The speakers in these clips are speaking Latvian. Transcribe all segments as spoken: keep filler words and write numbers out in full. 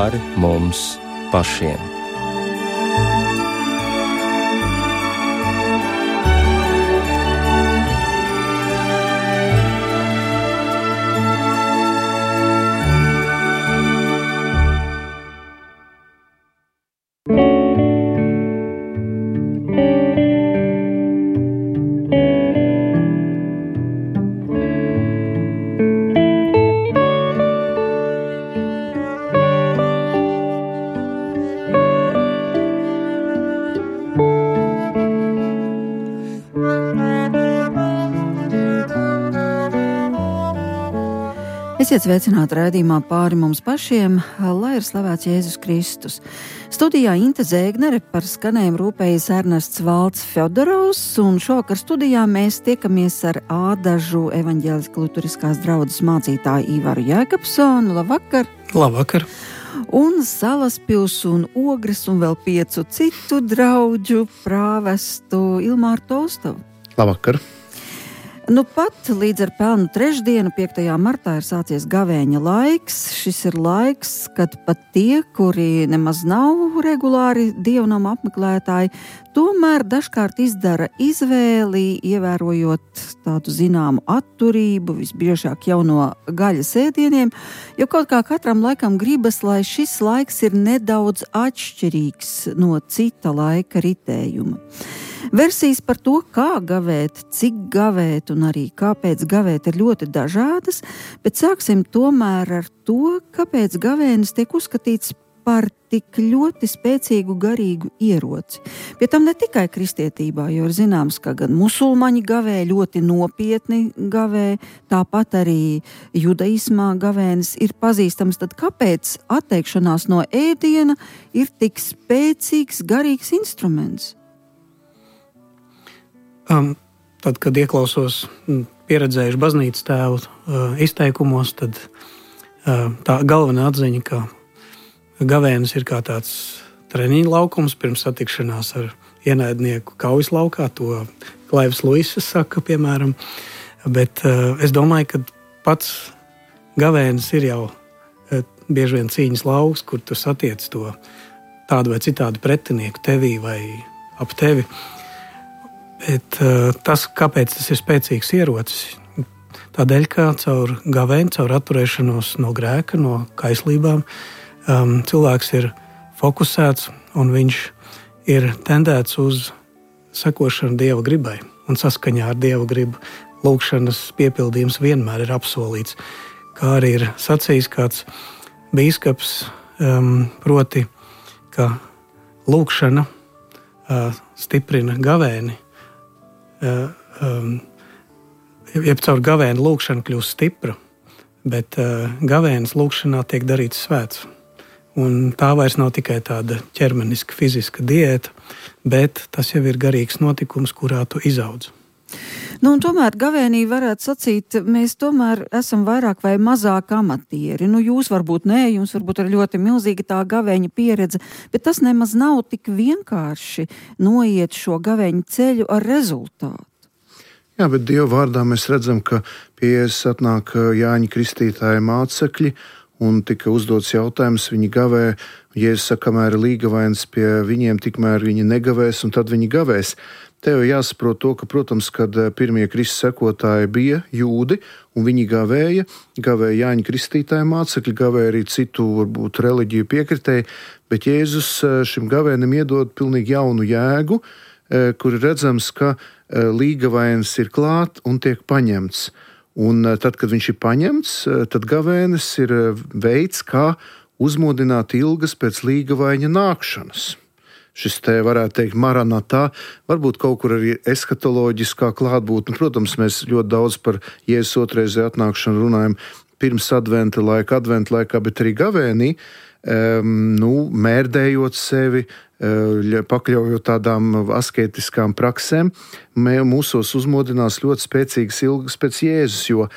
pāri mums pašiem. Esiet sveicināti raidījumā pāri mums pašiem, lai ir slavēts Jēzus Kristus. Studijā Inte Zēgnere, par skanējumu rūpējas Ernests Valds Fjodorovs, un šovakar studijā mēs tiekamies ar Ādažu evaņģēliskās luteriskās draudzes mācītāju Ivaru Jēkabsonu. Labvakar! Labvakar! Un Salaspils un Ogres un vēl piecu citu draudžu prāvestu Ilmāru Tolstovu. Labvakar! Nu pat līdz ar pelnu trešdienu, piektajā martā, ir sācies gavēņa laiks. Šis ir laiks, kad pat tie, kuri nemaz nav regulāri dievnama apmeklētāji, tomēr dažkārt izdara izvēli, ievērojot tādu zināmu atturību, visbiežāk jau no gaļas ēdieniem, jo kaut kā katram laikam gribas, lai šis laiks ir nedaudz atšķirīgs no cita laika ritējuma. Versijas par to, kā gavēt, cik gavēt un arī kāpēc gavēt, ir ļoti dažādas, bet sāksim tomēr ar to, kāpēc gavēnis tiek uzskatīts par tik ļoti spēcīgu garīgu ieroci. Pie tam ne tikai kristietībā, jo ir zināms, ka gan musulmaņi gavē, ļoti nopietni gavē, tāpat arī judaismā gavēnis ir pazīstams. Tad kāpēc atteikšanās no ēdiena ir tik spēcīgs garīgs instruments? Um, tad, kad ieklausos pieredzējuši baznīcas tēvu uh, izteikumos, tad uh, tā galvenā atziņa, ka gavēnis ir kā tāds treniņa laukums pirms satikšanās ar ienaidnieku kaujas laukā, to Klaivs Luises saka, piemēram. Bet uh, es domāju, ka pats gavēnis ir jau uh, bieži vien cīņas lauks, kur tu satiec to tādu vai citādu pretinieku tevī vai ap tevi. Bet, uh, tas, kāpēc tas ir spēcīgs ierocis, tādēļ, ka caur gavēni, caur atturēšanos no grēka, no kaislībām, um, cilvēks ir fokusēts un viņš ir tendēts uz sekošanu Dieva gribai un saskaņā ar Dieva gribu. Lūgšanas piepildījums vienmēr ir apsolīts, kā arī ir sacījis kāds bīskaps, um, proti, ka lūgšana uh, stiprina gavēni. Uh, um, jeb caur gavēnu lūgšanu kļūst stipra, bet uh, gavēnas lūgšanā tiek darīts svēts. Un tā vairs nav tikai tāda ķermeniska, fiziska diēta, bet tas jau ir garīgs notikums, kurā tu izaudz. Nu, un tomēr gavēnī varētu sacīt, mēs tomēr esam vairāk vai mazāk amatieri. Nu, jūs varbūt nē, jums varbūt ir ļoti milzīga tā gavēņa pieredze, bet tas nemaz nav tik vienkārši noiet šo gavēņa ceļu ar rezultātu. Jā, bet Dieva vārdā mēs redzam, ka pie Jēzus atnāk Jāņa Kristītāja mācekļi, un tika uzdots jautājums, viņi gavē, Jēzus saka, kamēr ir līgavains pie viņiem, tikmēr viņi negavēs, un tad viņi gavēs. Te jau jāsaprot to, ka, protams, kad pirmie Kristus sekotāji bija jūdi, un viņi gavēja, gavēja Jāņa Kristītāja mācekļi, gavēja arī citu, varbūt, reliģiju piekritēji, bet Jēzus šim gavēnim iedod pilnīgi jaunu jēgu, kur ir redzams, ka līgavains ir klāt un tiek paņemts. Un tad, kad viņš ir paņemts, tad gavēnis ir veids, kā uzmodināt ilgas pēc līgavaina nākšanas. Šis te varētu teikt maranatā, varbūt kaut kur arī eskatoloģiskā klātbūtne. Protams, mēs ļoti daudz par Jēzus otrreizēju atnākšanu runājam pirms adventa laika, adventa laikā, bet arī gavēnī, um, nu, mērdējot sevi, uh, pakļaujot tādām asketiskām praksēm, mūsos uzmodinās ļoti spēcīgas ilgas pēc Jēzus, jo uh,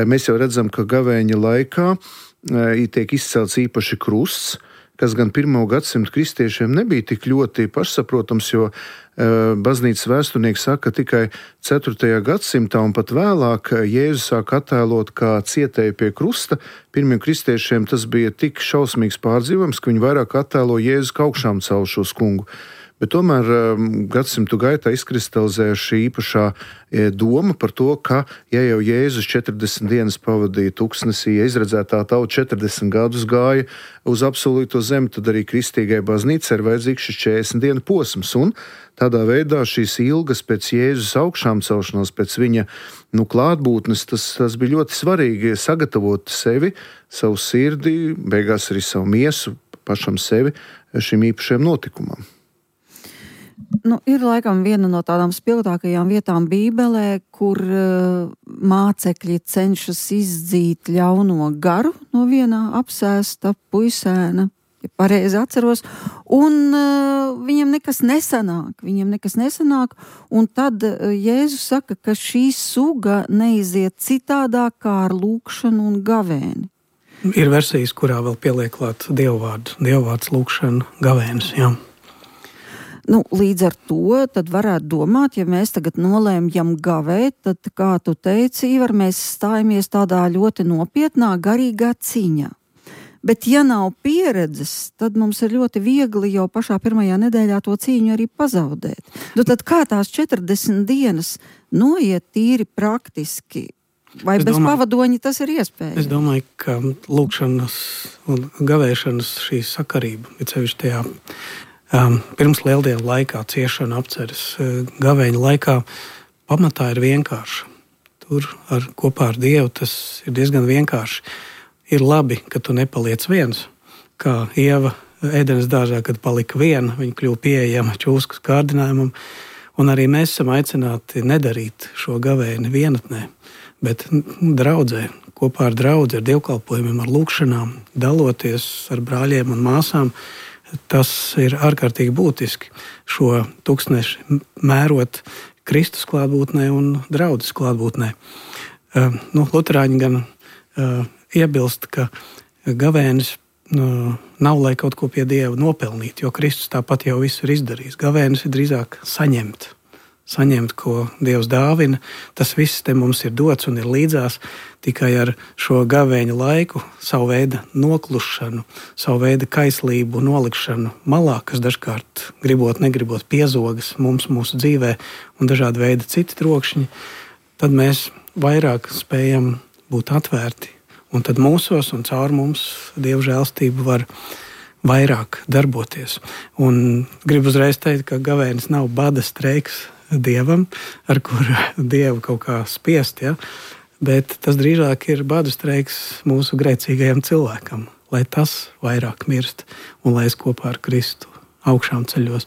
mēs jau redzam, ka gavēņa laikā uh, tiek izcelts īpaši krusts, kas gan pirmo gadsimtu kristiešiem nebija tik ļoti pašsaprotams, jo baznīcas vēsturnieki saka, ka tikai ceturtajā gadsimtā un pat vēlāk Jēzus sāk attēlot kā cietēju pie krusta. Pirmiem kristiešiem tas bija tik šausmīgs pārdzīvojums, ka viņi vairāk attēlo Jēzus kā augšām celšos kungu. Bet tomēr gadsimtu gaitā izkristalizēja šī īpašā doma par to, ka, ja jau Jēzus četrdesmit dienas pavadīja tuksnesī, ja izredzētā tauta četrdesmit gadus gāja uz apsolīto zemi, tad arī kristīgai baznīcai ir vajadzīgs šis četrdesmit dienu posms. Un tādā veidā šīs ilgas pēc Jēzus augšām celšanās, pēc viņa nu, klātbūtnes, tas, tas bija ļoti svarīgi sagatavot sevi, savu sirdi, beigās arī savu miesu, pašam sevi šim īpašajam notikumam. Nu, ir laikam viena no tādām spilgtākajām vietām Bībelē, kur uh, mācekļi cenšas izdzīt ļauno garu no vienā apsēsta puisēna, ja pareizi atceros, un uh, viņam nekas nesanāk, viņam nekas nesanāk, un tad uh, Jēzus saka, ka šī suga neiziet citādāk kā ar lūkšanu un gavēni. Ir versijas, kurā vēl pieliek klāt dievvārdu, dievvārds, lūkšana, gavēnis, jā. Nu, līdz ar to tad varētu domāt, ja mēs tagad nolēmjam gavēt, tad, kā tu teici, Ivar, mēs stājamies tādā ļoti nopietnā garīgā cīņā. Bet ja nav pieredzes, tad mums ir ļoti viegli jau pašā pirmajā nedēļā to cīņu arī pazaudēt. Nu, tad kā tās četrdesmit dienas noiet tīri praktiski? Vai es bez domāju, pavadoņa tas ir iespējams? Es domāju, ka lūkšanas un gavēšanas šī sakarība, ir sevišķi tajā Um, pirms lieldienu laikā, ciešana apceres uh, gavēņa laikā, pamatā ir vienkārša. Tur ar, kopā ar Dievu tas ir diezgan vienkārši. Ir labi, ka tu nepaliec viens, kā Ieva ēdenes dārzā, kad palika viena, viņa kļuva pieejama čūskas kārdinājumam, un arī mēs esam aicināti nedarīt šo gavēni vienatnē, bet draudzē, kopā ar draudzi, ar dievkalpojumiem, ar lūkšanām, daloties ar brāļiem un māsām. Tas ir ārkārtīgi būtiski šo tuksneši mērot Kristus klātbūtnē un draudzes klātbūtnē. Uh, nu, Luterāņi gan uh, iebilst, ka gavēnis uh, nav, lai kaut ko pie Dieva nopelnīt, jo Kristus tāpat jau visu ir izdarījis. Gavēnis ir drīzāk saņemt, saņemt, ko Dievs dāvina. Tas viss te mums ir dots un ir līdzās. Tikai ar šo gavēņa laiku, savu veidu noklušanu, savu veidu kaislību nolikšanu malā, kas dažkārt gribot, negribot piezogas mums mūsu dzīvē un dažādi veidi citi trokšņi, tad mēs vairāk spējam būt atvērti. Un tad mūsos un caur mums Dieva žēlstība var vairāk darboties. Un gribu uzreiz teikt, ka gavēnis nav bada streiks Dievam, ar kuru Dievu kaut kā spiest, ja? Bet tas drīzāk ir badu streiks mūsu grēcīgajam cilvēkam, lai tas vairāk mirst un lai es kopā ar Kristu augšām ceļos.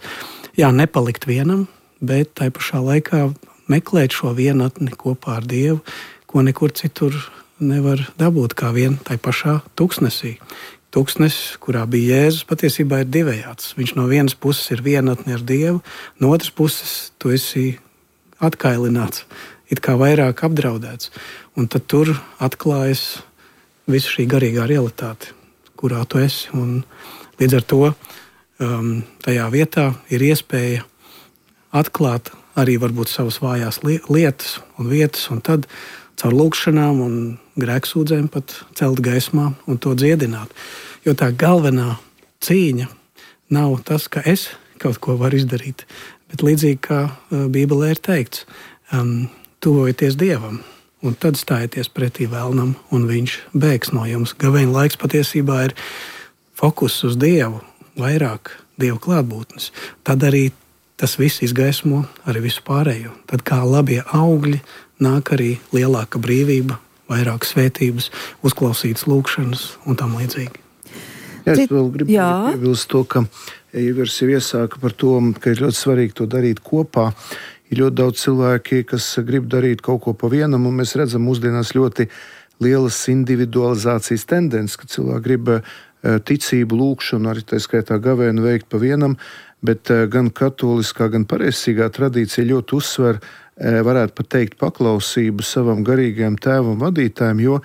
Jā, nepalikt vienam, bet tai pašā laikā meklēt šo vienatni kopā ar Dievu, ko nekur citur nevar dabūt kā vien tai pašā tuksnesī. Tuksnesis, kurā bija Jēzus, patiesībā ir divējāds. Viņš no vienas puses ir vienatni ar Dievu, no otras puses tu esi atkailināts, it kā vairāk apdraudēts. Un tad tur atklājas visa šī garīgā realitāte, kurā tu esi. Un līdz ar to um, tajā vietā ir iespēja atklāt arī varbūt savas vājās lietas un vietas, un tad caur lūkšanām un grēksūdzēm pat celt gaismā un to dziedināt. Jo tā galvenā cīņa nav tas, ka es kaut ko varu izdarīt, bet līdzīgi kā Bībelē ir teikts, um, tuvojieties Dievam, un tad stājieties pretī vēlnam, un viņš bēgs no jums. Gavēņa laiks patiesībā ir fokus uz Dievu, vairāk Dieva klātbūtnes. Tad arī tas viss izgaismo arī visu pārējo. Tad kā labie augļi nāk arī lielāka brīvība, vairāk svētības, uzklausītas lūkšanas un tam līdzīgi. Jā, es vēl gribu piebilst to, ka Ivars jau iesāka par to, ka ir ļoti svarīgi to darīt kopā. Ir ļoti daudz cilvēki, kas grib darīt kaut ko pa vienam, un mēs redzam mūsdienās ļoti lielas individualizācijas tendences, ka cilvēki grib ticību, lūkšanu, arī tā skaitā gavēnu veikt pa vienam, bet gan katoliskā, gan pareizsīgā tradīcija ļoti uzsver, varētu pat teikt, paklausību savam garīgajam tēvam vadītājam, jo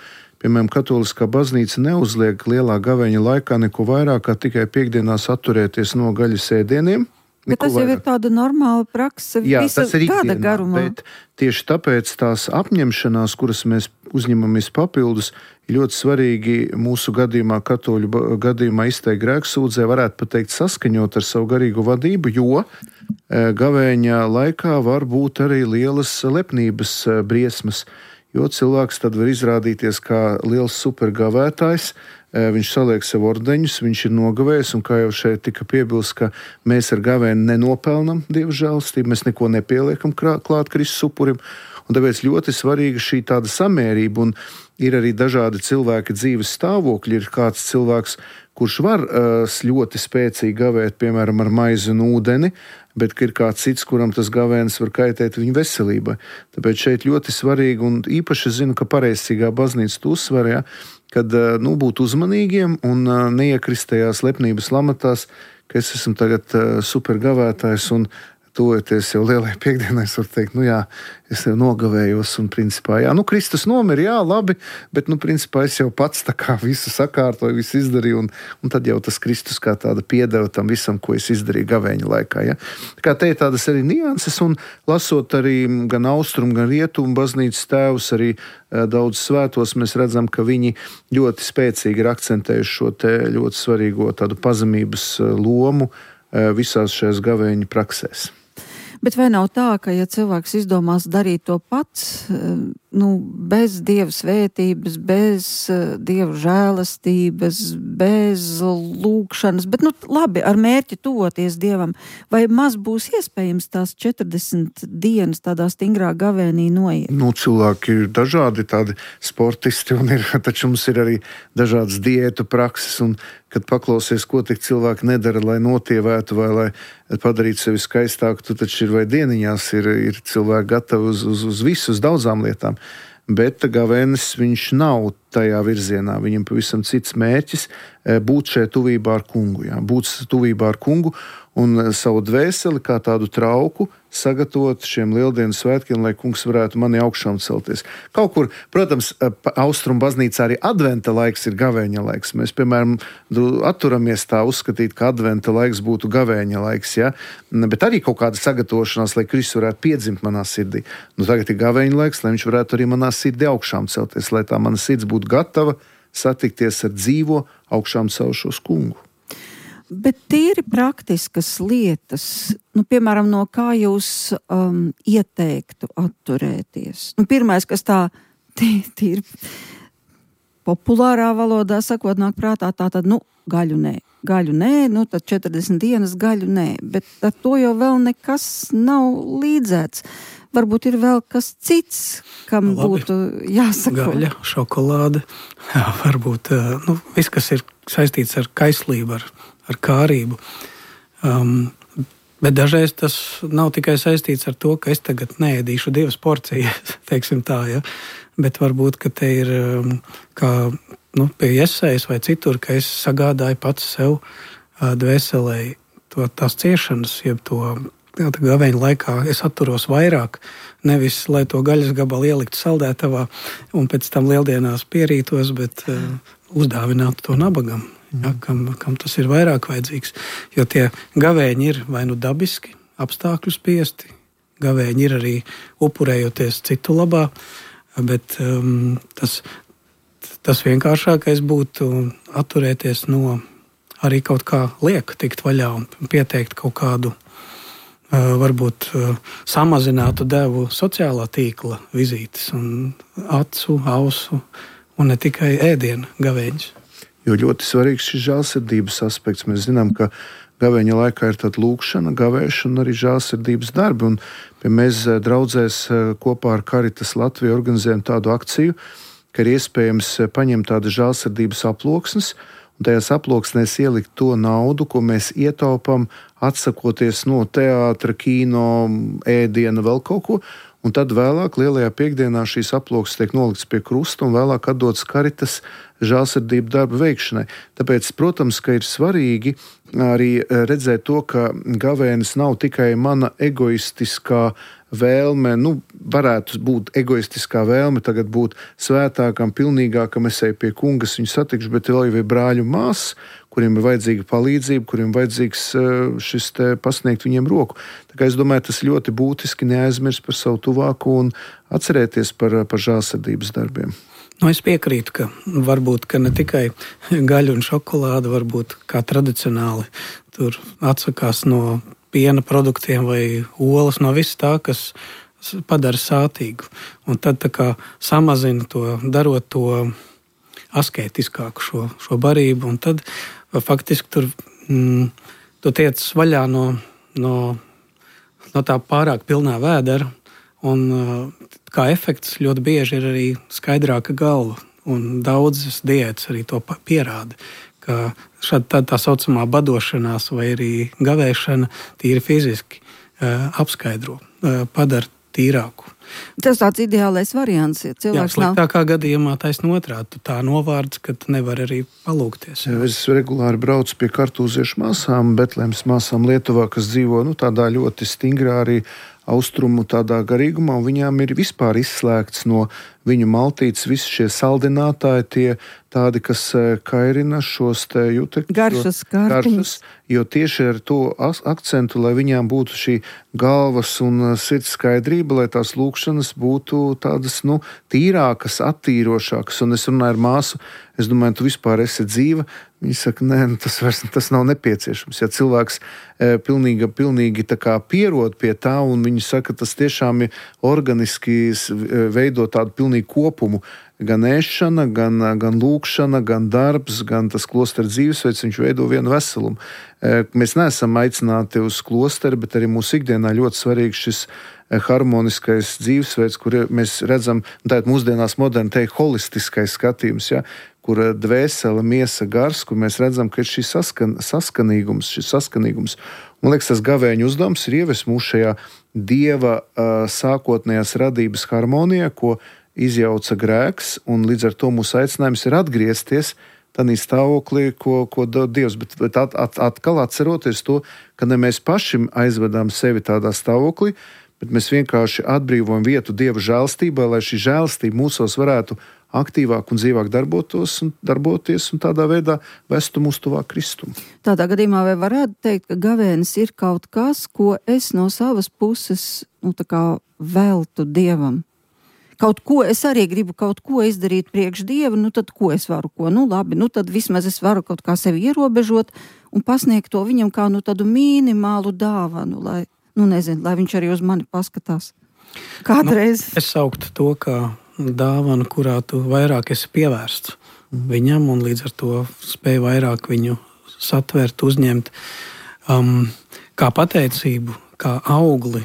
piemēram, katoliskā baznīca neuzliek lielā gavēņa laikā neko vairāk, kā tikai piekdienās atturēties no gaļas ēdieniem. Bet tas jau vairāk. Ir tāda normāla prakse Jā, visa gada garumā. Bet tieši tāpēc tās apņemšanās, kuras mēs uzņemamies papildus, ir ļoti svarīgi mūsu gadījumā, katoļu gadījumā izteikt grēksūdzē, varētu pateikt saskaņot ar savu garīgo vadību, jo gavēņa laikā var būt arī lielas lepnības briesmas, jo cilvēks tad var izrādīties kā liels supergavētājs. Viņš saliek sev ordeņus, viņš ir nogavējis, un kā jau šeit tika piebilsts, ka mēs ar gavēni nenopelnam Dieva žēlastību, mēs neko nepieliekam klāt Kristus upurim, un tāpēc ļoti svarīga šī tāda samērība, un ir arī dažādi cilvēki dzīves stāvokļi, ir kāds cilvēks, kurš var uh, ļoti spēcīgi gavēt, piemēram, ar maizi un ūdeni, bet ir kāds cits, kuram tas gavēnis var kaitēt viņa veselībai. Tāpēc šeit ļoti svarīgi, un īpaši es zinu, ka pareizcīgā baznīca to uzsver, ja, kad nu, būt uzmanīgiem un neiekrist tajās lepnības lamatās, ka es esmu tagad supergavētājs un tuvojoties jau lielai piekdienai, es varu teikt, nu jā, es jau nogavējos un principā, jā, nu Kristus nomira, jā, labi, bet nu principā es jau pats tā kā visu sakārtoju, visu izdarīju un, un tad jau tas Kristus kā tāda piedeva tam visam, ko es izdarīju gavēņa laikā, ja. Tā kā te ir tādas arī nianses un lasot arī gan austrumu, gan rietumu baznīcas tēvus, arī daudz svētos, mēs redzam, ka viņi ļoti spēcīgi ir akcentējuši šo te ļoti svarīgo tādu pazemības lomu visās šajās gavēņa praksēs. Bet vai nav tā, ka ja cilvēks izdomās darīt to pats, nu, bez Dieva svētības, bez Dieva žēlastības, bez lūkšanas, bet, nu, labi, ar mērķi tuvoties Dievam, vai maz būs iespējams tās četrdesmit dienas tādā stingrā gavēnī noiet? Nu, cilvēki ir dažādi tādi sportisti, un ir, taču mums ir arī dažādas diētu prakses, un kad paklausies, ko tik cilvēki nedara, lai notievētu vai lai padarītu sevi skaistāku, tu taču ir vai dieniņās ir, ir cilvēki gatavi uz, uz, uz visu, uz daudzām lietām. Bet gavēnis viņš nav tajā virzienā. Viņam pavisam cits mērķis būt šajā tuvībā ar kungu. Jā. Būt tuvībā ar kungu un savu dvēseli kā tādu trauku sagatavot šiem lieldienu svētkiem, lai kungs varētu mani augšām celties. Kaut kur, protams, austrumu baznīcā arī adventa laiks ir gavēņa laiks. Mēs, piemēram, atturamies tā uzskatīt, ka adventa laiks būtu gavēņa laiks, ja? Bet arī kaut kāda sagatavošanās, lai Kristus varētu piedzimt manā sirdī. Nu, tagad ir gavēņa laiks, lai viņš varētu arī manā sirdī augšām celties, lai tā mana sirds būtu gatava satikties ar dzīvo augšām celšos kungu. Bet tīri praktiskas lietas, nu, piemēram, no kā jūs um, ieteiktu atturēties? Nu, pirmais, kas tā tīri populārā valodā sakot, nāk prātā, tā tad, nu, gaļu nē. Gaļu nē, nu, tad četrdesmit dienas gaļu nē. Bet ar to jau vēl nekas nav līdzēts. Varbūt ir vēl kas cits, kam Labi. Būtu jāsako. Gaļa, šokolāde, jā, varbūt, nu, viss, kas ir saistīts ar kaislību, ar ar kārību. Um, bet dažreiz tas nav tikai saistīts ar to, ka es tagad neēdīšu divas porcijas, teiksim tā, ja? Bet varbūt, ka te ir um, kā nu, pie iesaijas vai citur, ka es sagādāju pats sev uh, dvēselē to, tās ciešanas, jeb to gavēņa laikā es atturos vairāk, nevis, lai to gaļas gabalu ieliktu saldētavā un pēc tam lieldienās pierītos, bet uh, uzdāvinātu to nabagam. Ja, kam, kam tas ir vairāk vajadzīgs, jo tie gavēņi ir vai nu dabiski, apstākļu spiesti, gavēņi ir arī upurējoties citu labā, bet um, tas, tas vienkāršākais būtu atturēties no arī kaut kā lieka tikt vaļā un pieteikt kaut kādu, uh, varbūt uh, samazinātu devu sociālā tīkla vizītes un acu, ausu un ne tikai ēdienu gavēņus. Jo ļoti svarīgs šis žēlsirdības aspekts. Mēs zinām, ka gavēņa laikā ir tāda lūkšana, gavēšana un arī žēlsirdības darbi. Un, ja mēs draudzēs kopā ar Caritas Latviju organizējam tādu akciju, ka ir iespējams paņemt tādas žēlsirdības aploksnes un tajās aploksnēs ielikt to naudu, ko mēs ietaupam, atsakoties no teātra, kino, ēdiena, vēl kaut ko. un tad vēlāk lielajā piekdienā šīs aploksnes tiek nolikts pie krusta un vēlāk atdots karitas žēlsirdību darbu veikšanai. Tāpēc, protams, ka ir svarīgi arī redzēt to, ka gavēnis nav tikai mana egoistiskā vēlme, nu, varētu būt egoistiskā vēlme tagad būt svētākam, pilnīgākam, es eju pie kungas, viņu satikšu, bet vēl jau ir brāļu māsas, kuriem ir vajadzīga palīdzība, kuriem vajadzīgs šis te pasniegt viņiem roku. Tā kā es domāju, tas ļoti būtiski neaizmirst par savu tuvāko un atcerēties par, par žēlsirdības darbiem. Nu, es piekrītu, ka varbūt ka ne tikai gaļa un šokolāde, varbūt kā tradicionāli tur atsakās no piena produktiem vai olas, no viss tā, kas padara sātīgu. Un tad tā kā samazina to, darot to asketiskāku šo, šo barību, un tad faktiski tur mm, tu tiec vaļā no, no, no tā pārāk pilnā vēdera, un kā efekts ļoti bieži ir arī skaidrāka galva, un daudzas diētas arī to pierāda, ka šāda tā, tā saucamā badošanās vai arī gavēšana tīri fiziski uh, apskaidro, uh, padara tīrāku. Tas tāds ideālais variants, ja cilvēks nav. Jā, sliktākā gadījumā taisn otrādi, tu tā novārds, ka tu nevar arī palūkties. Jā. Es regulāri braucu pie kartūziešu māsām, Betlēmas māsām Lietuvā, kas dzīvo nu, tādā ļoti stingrā arī austrumu tādā garīgumā, un viņām ir vispār izslēgts no viņu maltītes visi šie saldinātāji, tie tādi, kas kairina šos te jutekļus. Garšas kārtiņas. Jo tieši ar to akcentu, lai viņām būtu šī galvas un sirds skaidrība, lai tās lūkšanas būtu tādas, nu, tīrākas, attīrošākas. Un es runāju ar māsu, es domāju, tu vispār esi dzīva. Viņa saka, nē, tas, vairs, tas nav nepieciešams. Ja cilvēks e, pilnīgi, pilnīgi tā kā pierod pie tā, un viņi saka, tas tiešām ir organiski veido tādu pilnīgu kopumu, gan ēšana, gan, gan lūkšana, gan darbs, gan tas klostera dzīvesveids, viņš veido vienu veselumu. E, mēs neesam aicināti uz klosteru, bet arī mūsu ikdienā ļoti svarīgs šis harmoniskais dzīvesveids, kur mēs redzam, tātad mūsdienās moderni teikt, holistiskais skatījums, ja, kur dvēsele, miesa, gars, kur mēs redzam, ka ir šis saskan, saskanīgums, šis saskanīgums. Man liekas, tas gavēņu uzdevums ir ievest mūs šajā Dieva uh, sākotnējās radības harmonijā, ko izjauca grēks, un līdz ar to mūsu aicinājums ir atgriezties tādā stāvoklī, ko, ko dod Dievs, bet, bet at, at, atkal atceroties to, ka ne mēs paši aizvedām sevi tādā stāvoklī, bet mēs vienkārši atbrīvojam vietu Dieva žēlstībā, lai šī žēlstība mūsos varētu aktīvāk un dzīvāk darbotos un darboties un tādā veidā vestu mūs tuvāk Kristum. Tādā gadījumā vai varētu teikt, ka gavēnis ir kaut kas, ko es no savas puses, nu, tā kā veltu Dievam? Kaut ko es arī gribu kaut ko izdarīt priekš Dieva, nu tad ko es varu, ko? Nu labi, nu tad vismaz es varu kaut kā sevi ierobežot un pasniegt to viņam kā nu tādu minimālu dāvanu, lai, nu nezinu, lai viņš arī uz mani paskatās. Kādreiz. Nu, es sauktu to, kā dāvana, kurā tu vairāk esi pievērsts viņam un līdz ar to spēj vairāk viņu satvert, uzņemt, um, kā pateicību, kā augli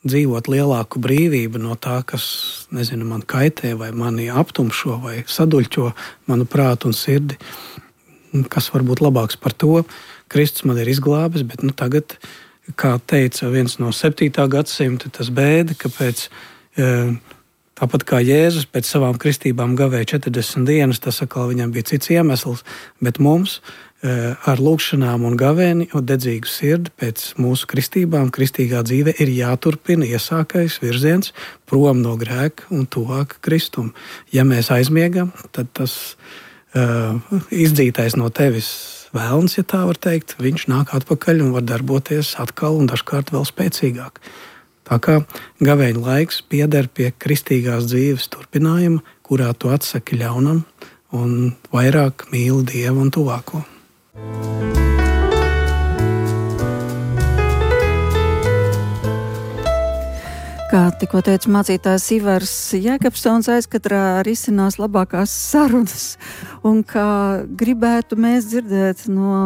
dzīvot lielāku brīvību no tā, kas, nezinu, man kaitē vai mani aptumšo vai saduļķo manu prātu un sirdi. Kas var būt labāks par to? Kristus man ir izglābis, bet nu tagad, kā teica viens no septītā gadsimta, tas bēda, ka pēc e, tāpat kā Jēzus pēc savām kristībām gavēja četrdesmit dienas, tas atkal viņam bija cits iemesls, bet mums e, ar lūkšanām un gavēni un dedzīgu sirdi pēc mūsu kristībām, kristīgā dzīve ir jāturpina iesākais virziens prom no grēka un tuvāk Kristum. Ja mēs aizmiegam, tad tas e, izdzītais no tevis vēlns, ja tā var teikt, viņš nāk atpakaļ un var darboties atkal un dažkārt vēl spēcīgāk. Tā kā gavēņa laiks pieder pie kristīgās dzīves turpinājuma, kurā tu atsaki ļaunam un vairāk mīli Dievu un tuvāko. Kā tikko teica mācītājs Ivars Jēkabsons, aizkatrā risinās labākās sarunas, un kā gribētu mēs dzirdēt no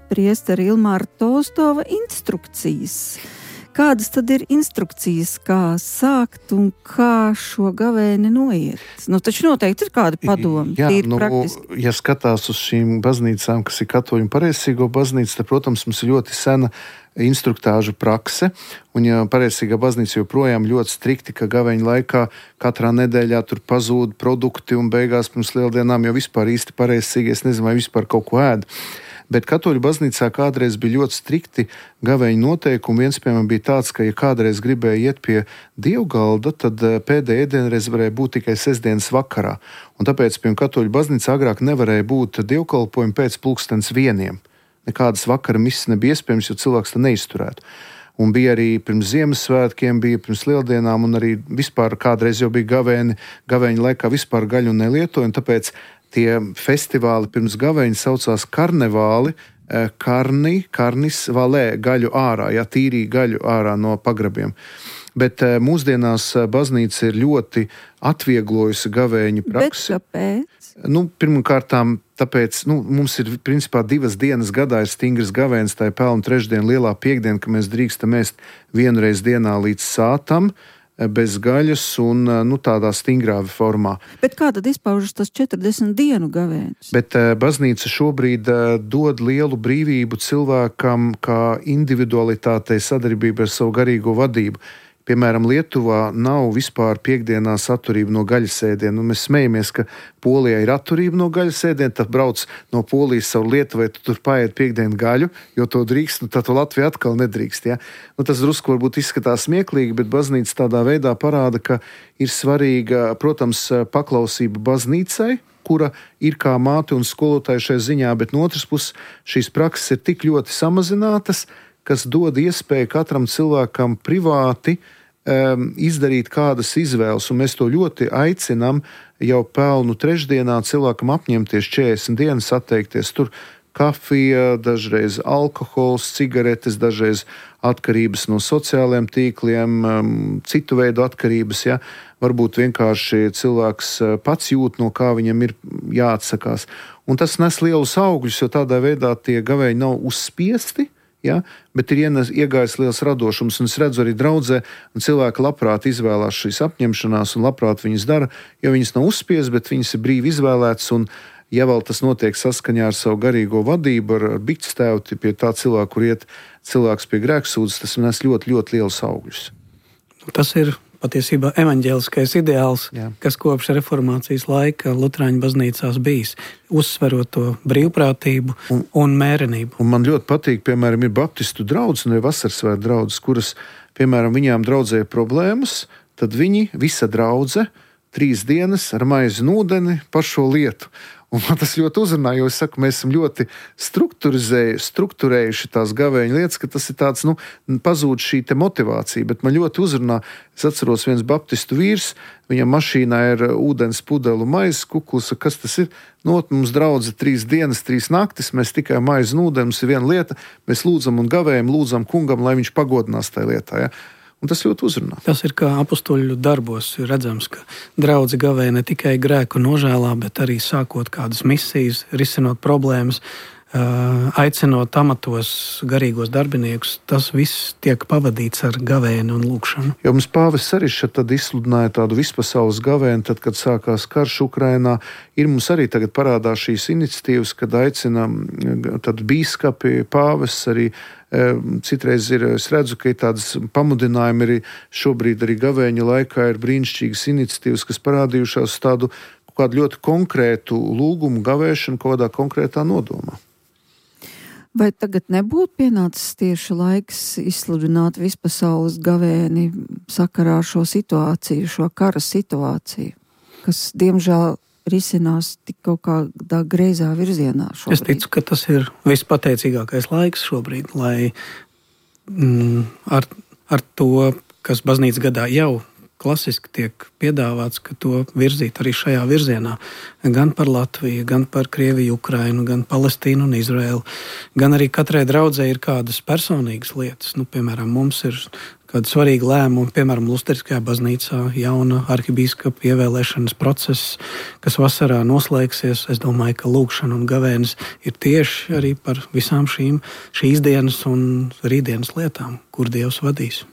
priestera Ilmāra Tolstova instrukcijas, kādas tad ir instrukcijas, kā sākt un kā šo gavēni noiet? Nu, taču noteikti ir kādi padomi, Jā, tīri nu, praktiski. Ja skatās uz šīm baznīcām, kas ir katoļu un pareizsīgo baznīca, tad, protams, mums ir ļoti sena instruktāžu prakse, un ja pareizsīgā baznīca joprojām ļoti strikti, ka gaveņa laikā katrā nedēļā tur pazūd produkti un beigās pirms lieldienām jau vispār īsti pareizsīgi, es nezinu, vai vispār kaut ko ēd. Bet katoļu baznīcā kādreiz bija ļoti strikti gaveņa noteikumi. Viens, piemēram, bija tāds, ka, ja kādreiz gribēja iet pie dievgalda, tad pēdējā ēdienreize varēja būt tikai sestdienas vakarā. Un tāpēc, piemēram, katoļu baznīcā agrāk nevarēja būt dievkalpojumi pēc pulkstens vieniem. Nekādas vakara misas nebija iespējams, jo cilvēks tā neizturētu. Un bija arī pirms Ziemassvētkiem, bija pirms lieldienām, un arī vispār kādreiz jau bija gavēni, gavēņa laikā vispār gaļu nelietoja, un tāpēc tie festivāli pirms gaveņa saucās karnevāli, karni, karnis valē, gaļu ārā, ja tīrī gaļu ārā no pagrabiem. Bet mūsdienās baznīca ir ļoti atvieglojusi gavēņu praksi. Bet kāpēc? Nu, pirmkārtām, tāpēc nu, mums ir principā divas dienas gadā ir stingrs gavēns, tā ir pelnu trešdiena, lielā piekdiena, ka mēs drīkstam ēst vienreiz dienā līdz sātam, bez gaļas un nu, tādā stingrā formā. Bet kā tad izpaužas tas četrdesmit dienu gavēnis? Bet baznīca šobrīd dod lielu brīvību cilvēkam kā individualitātei sadarbībai ar savu garīgo vadību. Piemēram, Lietuvā nav vispār piekdienās atturība no gaļas ēdiena. Mēs smejamies, ka Polijā ir atturība no gaļas ēdiena, tad brauc no Polijas savu Lietuvai, tu tur paēd piekdienu gaļu, jo to drīkst, nu tad to Latvija atkal nedrīkst. Ja? Nu, tas drusku varbūt izskatās smieklīgi, bet baznīca tādā veidā parāda, ka ir svarīga, protams, paklausība baznīcai, kura ir kā māte un skolotāja šai ziņā, bet no otras puses šīs prakses ir tik ļoti samazinātas, kas dod iespēju katram cilvēkam privāti um, izdarīt kādas izvēles, un mēs to ļoti aicinām jau pelnu trešdienā cilvēkam apņemties četrdesmit dienas, atteikties tur kafija, dažreiz alkohols, cigaretes, dažreiz atkarības no sociālajiem tīkliem, um, citu veidu atkarības, ja? Varbūt vienkārši cilvēks pats jūt, no kā viņam ir jāatsakās. Un tas nes lielus augļus, jo tādā veidā tie gavēji nav uzspiesti, ja, bet ir iegājis liels radošums, un es redzu arī draudzē, un cilvēki labprāt izvēlās šīs apņemšanās, un labprāt viņas dara, jo viņas nav uzspies, bet viņas ir brīvi izvēlētas, un ja vēl tas notiek saskaņā ar savu garīgo vadību, ar, ar bikstēvti pie tā cilvēka, kur iet cilvēks pie grēksūdzes, tas nes ļoti, ļoti lielus augļus. Tas ir patiesībā evaņģēliskais ideāls, Jā. kas kopš reformācijas laika Luterāņu baznīcās bijis, uzsverot to brīvprātību un, un mērenību. Un man ļoti patīk, piemēram, ir baptistu draudzes un vasarsvētku draudzes, kuras, piemēram, viņām draudzē problēmas, tad viņi, visa draudze, trīs dienas ar maizi un ūdeni par šo lietu. Un man tas ļoti uzrunā, jo es saku, mēs esam ļoti strukturējuši tās gavēņa lietas, ka tas ir tāds, nu, pazūd šī te motivācija, bet man ļoti uzrunā, es atceros viens baptistu vīrs, viņam mašīnā ir ūdens pudelu maizes kukls, kas tas ir? Nu, mums draudze trīs dienas, trīs naktis, mēs tikai maizi un ūdeni, mums ir viena lieta, mēs lūdzam un gavējam, lūdzam kungam, lai viņš pagodinās tajā lietā, ja? Un tas ļoti uzrunā. Tas ir kā apustuļu darbos redzams, ka draudze gavē ne tikai grēku nožēlā, bet arī sākot kādas misijas, risinot problēmas, aicinot amatos garīgos darbiniekus. Tas viss tiek pavadīts ar gavēni un lūkšanu. Jo mums pāvests arī šeit tad izsludināja tādu vispasaules gavēni, tad, kad sākās karš Ukrainā, ir mums arī tagad parādās šīs iniciatīvas, kad aicina tad bīskapi, pāvests arī. Citreiz ir, es redzu, ka ir tādas pamudinājumi arī šobrīd arī gavēņa laikā ir brīnišķīgas iniciatīvas, kas parādījušās tādu kādu ļoti konkrētu lūgumu gavēšanu kādā konkrētā nodomā. Vai tagad nebūtu pienācis tieši laiks izsludināt vispasaules gavēni sakarā ar šo situāciju, šo kara situāciju, kas, diemžēl, risinās tik kaut kādā greizā virzienā šobrīd? Es ticu, ka tas ir vispateicīgākais laiks šobrīd, lai mm, ar, ar to, kas baznīcas gadā jau klasiski tiek piedāvāts, ka to virzīt arī šajā virzienā. Gan par Latviju, gan par Krieviju, Ukrainu, gan Palestīnu un Izraēlu. Gan arī katrai draudzē ir kādas personīgas lietas. Nu, piemēram, mums ir kādi svarīgi lēmumi, piemēram, Luteriskajā baznīcā jauna arhibīskapa ievēlēšanas process, kas vasarā noslēgsies. Es domāju, ka lūkšana un gavēnis ir tieši arī par visām šīm šīs dienas un rītdienas lietām, kur Dievs vadīs.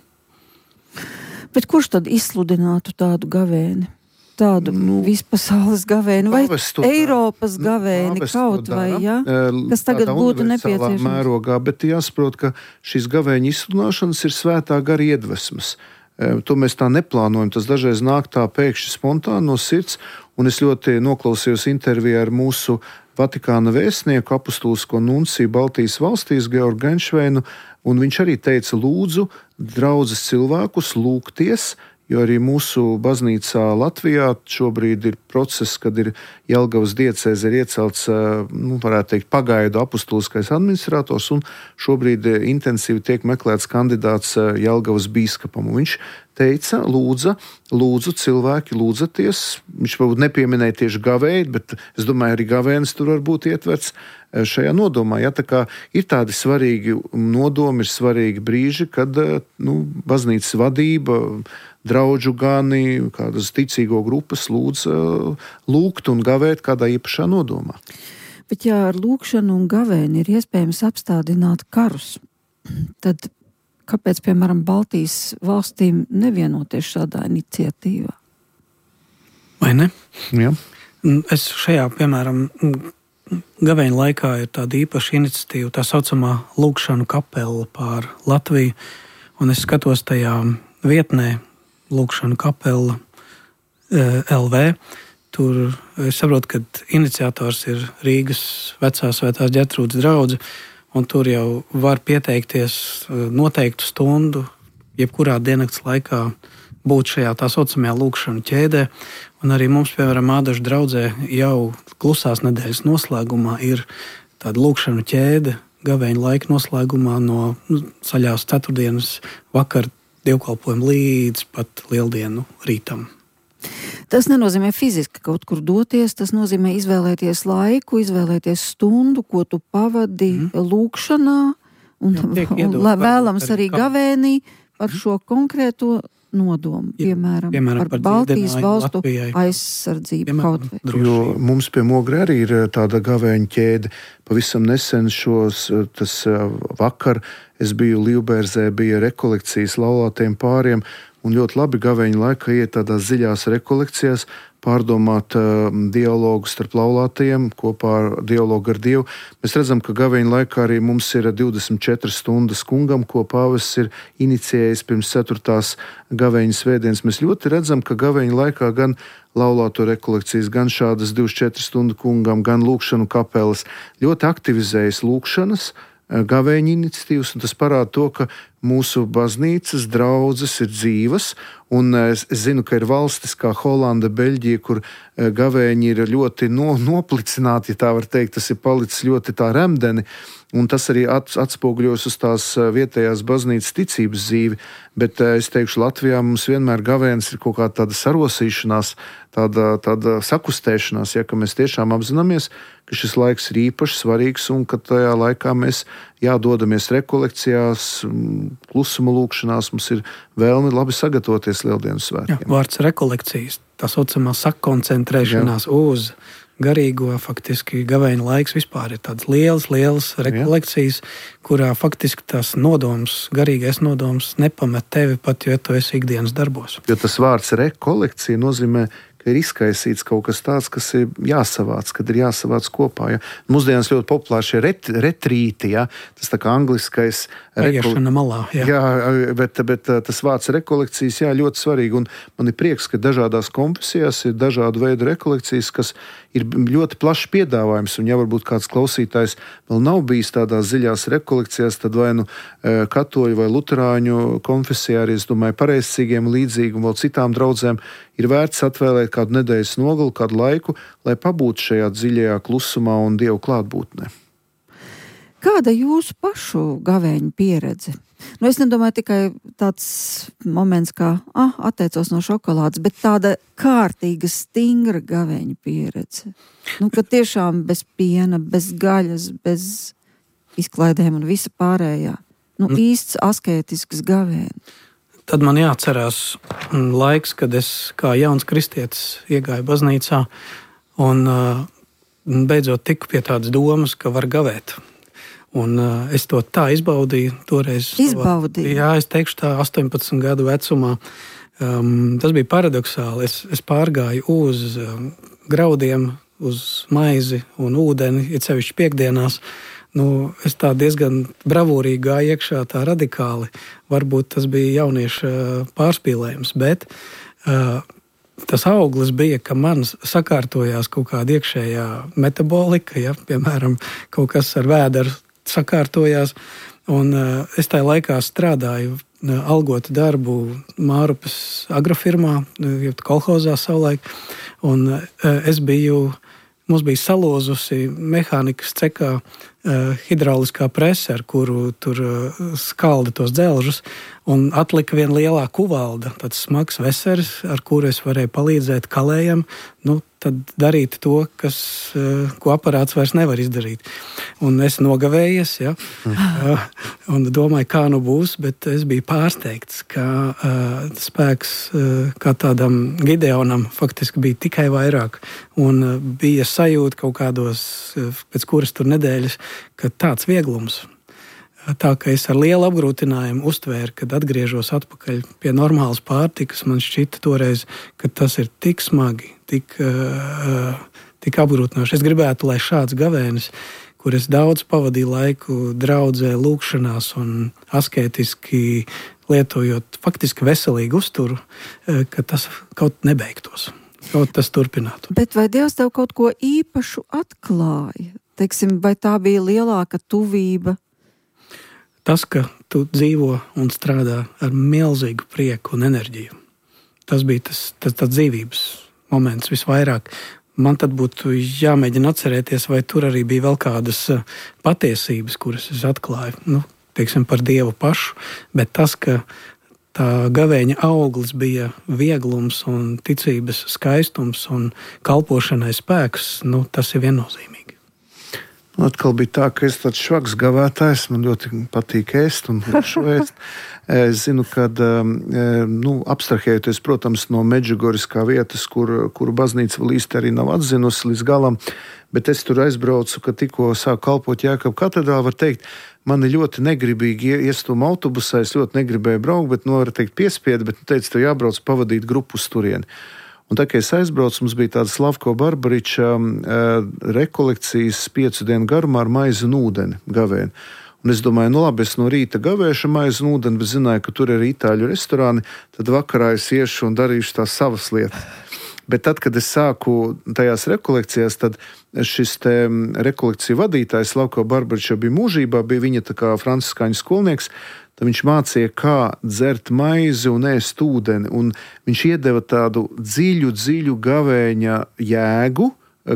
Bet kurš tad izsludinātu tādu gavēni? Tādu nu, vispasaules gavēni vai Eiropas gavēni kaut vai, ja? Kas tagad būtu nepieciešams? Mērogā, bet jāsaprot, ka šīs gavēņa izsludināšanas ir svētā gara iedvesmas. To mēs tā neplānojam, tas dažreiz nāk tā pēkšņi spontāni no sirds, un es ļoti noklausījos intervijā ar mūsu Vatikāna vēstnieku, apustulisko nunciju Baltijas valstīs, Georgu Genšveinu, un viņš arī teica, lūdzu, draudzes cilvēkus lūgties, jo arī mūsu baznīcā Latvijā šobrīd ir process, kad ir Jelgavas diecēze ir iecelts, nu, varētu teikt, pagaidu apustuliskais administrators, un šobrīd intensīvi tiek meklēts kandidāts Jelgavas bīskapam. Un viņš teica, lūdza, lūdzu cilvēki, lūdzaties. Viņš varbūt nepieminēja tieši gavēju, bet es domāju, arī gavēnis tur var būt ietverts šajā nodomā. Ja, tā kā ir tādi svarīgi nodomi, ir svarīgi brīži, kad nu, baznīcas vadība, draudžu gani, kādas ticīgo grupas lūdz lūgt un gavēt kādā īpašā nodomā. Bet ja ar lūkšanu un gavēni ir iespējams apstādināt karus, tad kāpēc, piemēram, Baltijas valstīm nevienoties šādā iniciatīvā? Vai ne? Jā. Es šajā, piemēram, gavēņa laikā ir tāda īpaša iniciatīva, tā saucamā lūkšanu kapela pār Latviju, un es skatos tajā vietnē lūkšanu kapela L V. Tur es saprotu, ka iniciators ir Rīgas vecā svētās Ģertrūdes draudze, un tur jau var pieteikties noteiktu stundu, jebkurā diennakts laikā būt šajā tā saucamajā lūkšanu ķēdē. Un arī mums, piemēram, Ādažu draudzē jau klusās nedēļas noslēgumā ir tāda lūkšanu ķēde gavēņa laika noslēgumā no nu, saļās ceturtdienas vakar dievkalpojumu līdz pat lieldienu rītam. Tas nenozīmē fiziski kaut kur doties, tas nozīmē izvēlēties laiku, izvēlēties stundu, ko tu pavadi mm. lūkšanā, un, Jā, un lai vēlams arī gavēnī par šo konkrēto nodomu, piemēram, piemēram par, par Baltijas valstu Latvijai. Aizsardzību piemēram, kaut vai. Jo mums pie Mogra arī ir tāda gavēņa ķēde. Pavisam nesen šos, tas vakar, es biju Līvbērzē, bija rekolekcijas laulātiem pāriem, un ļoti labi gavēņa laikā iet tādās dziļās rekolekcijās, pārdomāt uh, dialogu starp laulātajiem, kopā ar dialogu ar Dievu. Mēs redzam, ka gavēņa laikā arī mums ir divdesmit četras stundas kungam, ko pāvests ir inicijējis pirms ceturtās gavēņa svētdienas. Mēs ļoti redzam, ka gavēņa laikā gan laulāto rekolekcijas, gan šādas divdesmit četras stundu kungam, gan lūkšanu kapelas ļoti aktivizējas lūkšanas, gavēņa iniciatīvas, un tas parāda to, ka mūsu baznīcas draudzes ir dzīvas, un es, es zinu, ka ir valstis kā Holanda, Beļģija, kur gavēņi ir ļoti no, noplicināti, ja tā var teikt, tas ir palicis ļoti tā remdeni, un tas arī atspoguļos uz tās vietējās baznīcas ticības dzīvi, bet es teikšu, Latvijā mums vienmēr gavēnis ir kaut kā tāda sarosīšanās, tāda, tāda sakustēšanās, ja, ka mēs tiešām apzināmies, ka šis laiks ir īpaši svarīgs, un ka tajā laikā mēs jādodamies rekolekcijās, klusuma lūkšanās, mums ir vēlme labi sagatavoties Lieldienu svētkiem. Jā, vārds rekolekcijas, tā saucamā sakoncentrēšanās Jā. Uz garīgo, faktiski gavēņa laiks vispār ir tāds liels, liels rekolekcijas, Jā. Kurā faktiski tas nodoms, garīgais nodoms nepamet tevi pat, jo tu esi ikdienas darbos. Jo tas vārds rekolekcija nozīmē, ka ir izkaisīts kaut kas tāds, kas ir jāsavāc, kad ir jāsavāc kopā. Ja. Mūsdienās ļoti populāri šie ret, retrīti, ja. Tas tā kā angliskais Paiešana malā. Jā, jā bet, bet tas vārds rekolekcijas, jā, ļoti svarīgi. Un man ir prieks, ka dažādās konfesijās ir dažādu veidu rekolekcijas, kas ir ļoti plašs piedāvājums. Un ja varbūt kāds klausītājs vēl nav bijis tādās dziļās rekolekcijās, tad vai nu katoļu vai luterāņu konfesijā arī, es domāju, pareizcīgiem līdzīgi un vēl citām draudzēm ir vērts atvēlēt kādu nedēļas nogalu, kādu laiku, lai pabūtu šajā dziļajā klusumā un Dievu klātbūtnē. Kāda jūsu pašu gavēņa pieredze? Nu, es nedomāju tikai tāds moments, kā ah, atteicos no šokolādes, bet tāda kārtīga, stingra gavēņa pieredze. Nu, ka tiešām bez piena, bez gaļas, bez izklaidēm un visa pārējā. Nu, īsts askētisks gavēns. tad man jāatcerās laiks, kad es kā jauns kristietis iegāju baznīcā un beidzot tiku pie tādas domas, ka var gavēt. Un uh, es to tā izbaudīju toreiz. Izbaudīju? Jā, es teikšu tā astoņpadsmit gadu vecumā. Um, tas bija paradoxāli. Es, es pārgāju uz um, graudiem, uz maizi un ūdeni, it sevišķi piekdienās. Nu, es tā diezgan bravūrīgi gāju iekšā, tā radikāli. Varbūt tas bija jaunieša pārspīlējums, bet uh, tas auglis bija, ka man sakārtojās kaut kāda iekšējā metabolika, ja, piemēram, kaut kas ar vēderu sakārtojās, un uh, es tajā laikā strādāju uh, algotu darbu Mārupas agrofirmā, uh, kolhozā savulaik, un uh, es biju, mums bija salūzusi mehānikas cekā uh, hidrauliskā prese, ar kuru tur uh, skalda tos dzelžus, un atlika viena lielā kuvalda, tāds smags veseris, ar kuru es varēju palīdzēt kalējam, nu, tad darīt to, kas, uh, ko aparāts vairs nevar izdarīt. Un es nogavējies, ja, uh, un domāju, kā nu būs, bet es biju pārsteigts, ka uh, spēks uh, kā tādam Gideonam faktiski bija tikai vairāk, un uh, bija sajūta kaut kādos, uh, pēc kuras tur nedēļas, ka tāds vieglums. Tā kā es ar lielu apgrūtinājumu uztvēru, kad atgriežos atpakaļ pie normālas pārtikas, man šķita toreiz, ka tas ir tik smagi, tik, uh, tik apgrūtinoši. Es gribētu, lai šāds gavēnis, kur es daudz pavadīju laiku draudzē, lūkšanās un asketiski lietojot faktiski veselīgu uzturu, uh, ka tas kaut nebeigtos, kaut tas turpinātu. Bet vai Dievs tev kaut ko īpašu atklāja? Teiksim, vai tā bija lielāka tuvība? Tas, ka tu dzīvo un strādā ar milzīgu prieku un enerģiju, tas bija tas, tas, tas dzīvības moments visvairāk. Man tad būtu jāmēģina atcerēties, vai tur arī bija vēl kādas patiesības, kuras es atklāju, nu, teiksim, par Dievu pašu, bet tas, ka tā gavēņa auglis bija vieglums un ticības skaistums un kalpošanai spēks, nu, tas ir viennozīmīgi. Nu, atkal bija tā, ka es tāds švaks gavētājs, man ļoti patīk ēst un švēst. Es zinu, ka nu, abstrahējoties, protams, no Medžugoras kā vietas, kur, kur baznīca vēl īsti arī nav atzinusi līdz galam, bet es tur aizbraucu, ka tikko sāku kalpot Jēkabu katedrālē, var teikt, man ir ļoti negribīgi iestūma autobusā, es ļoti negribēju braukt, bet, nu, var teikt, piespiedi, bet, nu, teicu, tev jābrauc pavadīt grupu uz turieni. Un tā, kad es aizbraucu, mums bija tāda Slavko Barbariča uh, rekolekcijas piecu dienu garumā ar maizi un ūdeni gavēni. Un es domāju, nu labi, es no rīta gavēšu maizi un ūdeni, bet zināju, ka tur ir itāļu restorāni, tad vakarā es iešu un darīšu tās savas lietas. Bet tad, kad es sāku tajās rekolekcijās, tad šis te rekolekciju vadītājs Slavko Barbariča bija mūžībā, bija viņa tā kā franciskāņu skolnieks. Tad viņš mācīja, kā dzert maizi un ēst ūdeni, un viņš iedeva tādu dziļu, dziļu gavēņa jēgu,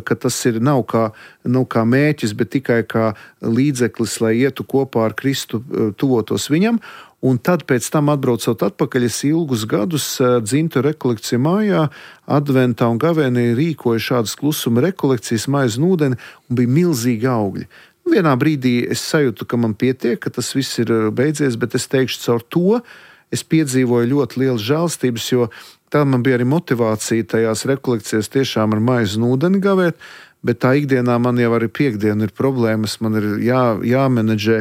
ka tas ir nav kā, nav kā mēķis, bet tikai kā līdzeklis, lai ietu kopā ar Kristu, tuvotos viņam. Un tad pēc tam atbraucot atpakaļ, es ilgus gadus dzimtu rekolekciju mājā, adventā un gavēnī rīkoju šādas klusuma rekolekcijas, maizi un ūdeni, un bija milzīgi augļi. Vienā brīdī es sajūtu, ka man pietiek, ka tas viss ir beidzies, bet es teikšu, caur to es piedzīvoju ļoti lielu žēlstības, jo tā man bija arī motivācija tajās rekolekcijās tiešām ar maizi un ūdeni gavēt, bet tā ikdienā man jau arī piekdiena ir problēmas, man ir jā, jāmenedžē,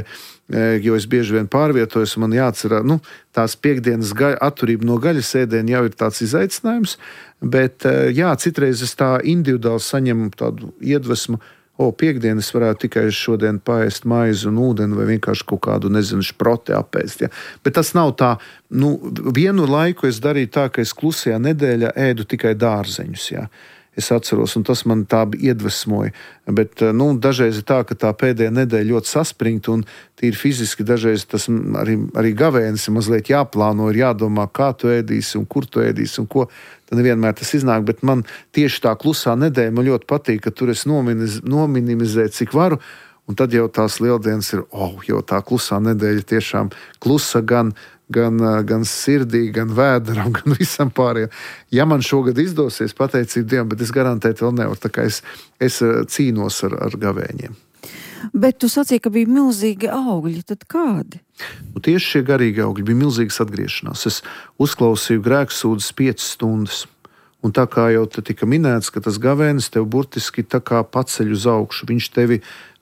jo es bieži vien pārvietojos, man jāatcerā, nu, tās piekdienas gaļa, atturība no gaļas ēdiena jau ir tāds izaicinājums, bet jā, citreiz es tā individuāli saņemu tādu iedvesmu, o, piekdienas varētu tikai šodien paēst maizi un ūdeni vai vienkārši kaut kādu, nezinu, šproti apēst. Ja. Bet tas nav tā, nu, vienu laiku es darīju tā, ka es klusajā nedēļā ēdu tikai dārzeņus, ja. Es atceros, un tas man tā iedvesmoja. Bet, nu, dažreiz ir tā, ka tā pēdējā nedēļa ļoti saspringta un tīri fiziski dažreiz tas arī, arī gavēnis ir mazliet jāplāno, ir jādomā, kā tu ēdīsi un kur tu ēdīsi un ko. Tad nevienmēr tas iznāk, bet man tieši tā klusā nedēļa man ļoti patīk, ka tur es nominiz, nominimizēju, cik varu, un tad jau tās lieldienas ir, oh, jau tā klusā nedēļa tiešām klusa gan, gan, gan sirdī, gan vēderam, gan visam pārējiem. Ja man šogad izdosies, pateicību Dievam, bet es garantēti vēl nevaru, tā kā es, es cīnos ar, ar gavēņiem. Bet tu sacīji, ka bija milzīgi augļi, tad kādi? Nu, tieši šie garīgi augļi bija milzīgas atgriešanās. Es uzklausīju grēksūdzes piecas stundas. Un tā kā jau te tika minēts, ka tas gavēnis tev burtiski tā kā paceļ uz augšu. Viņš tevi,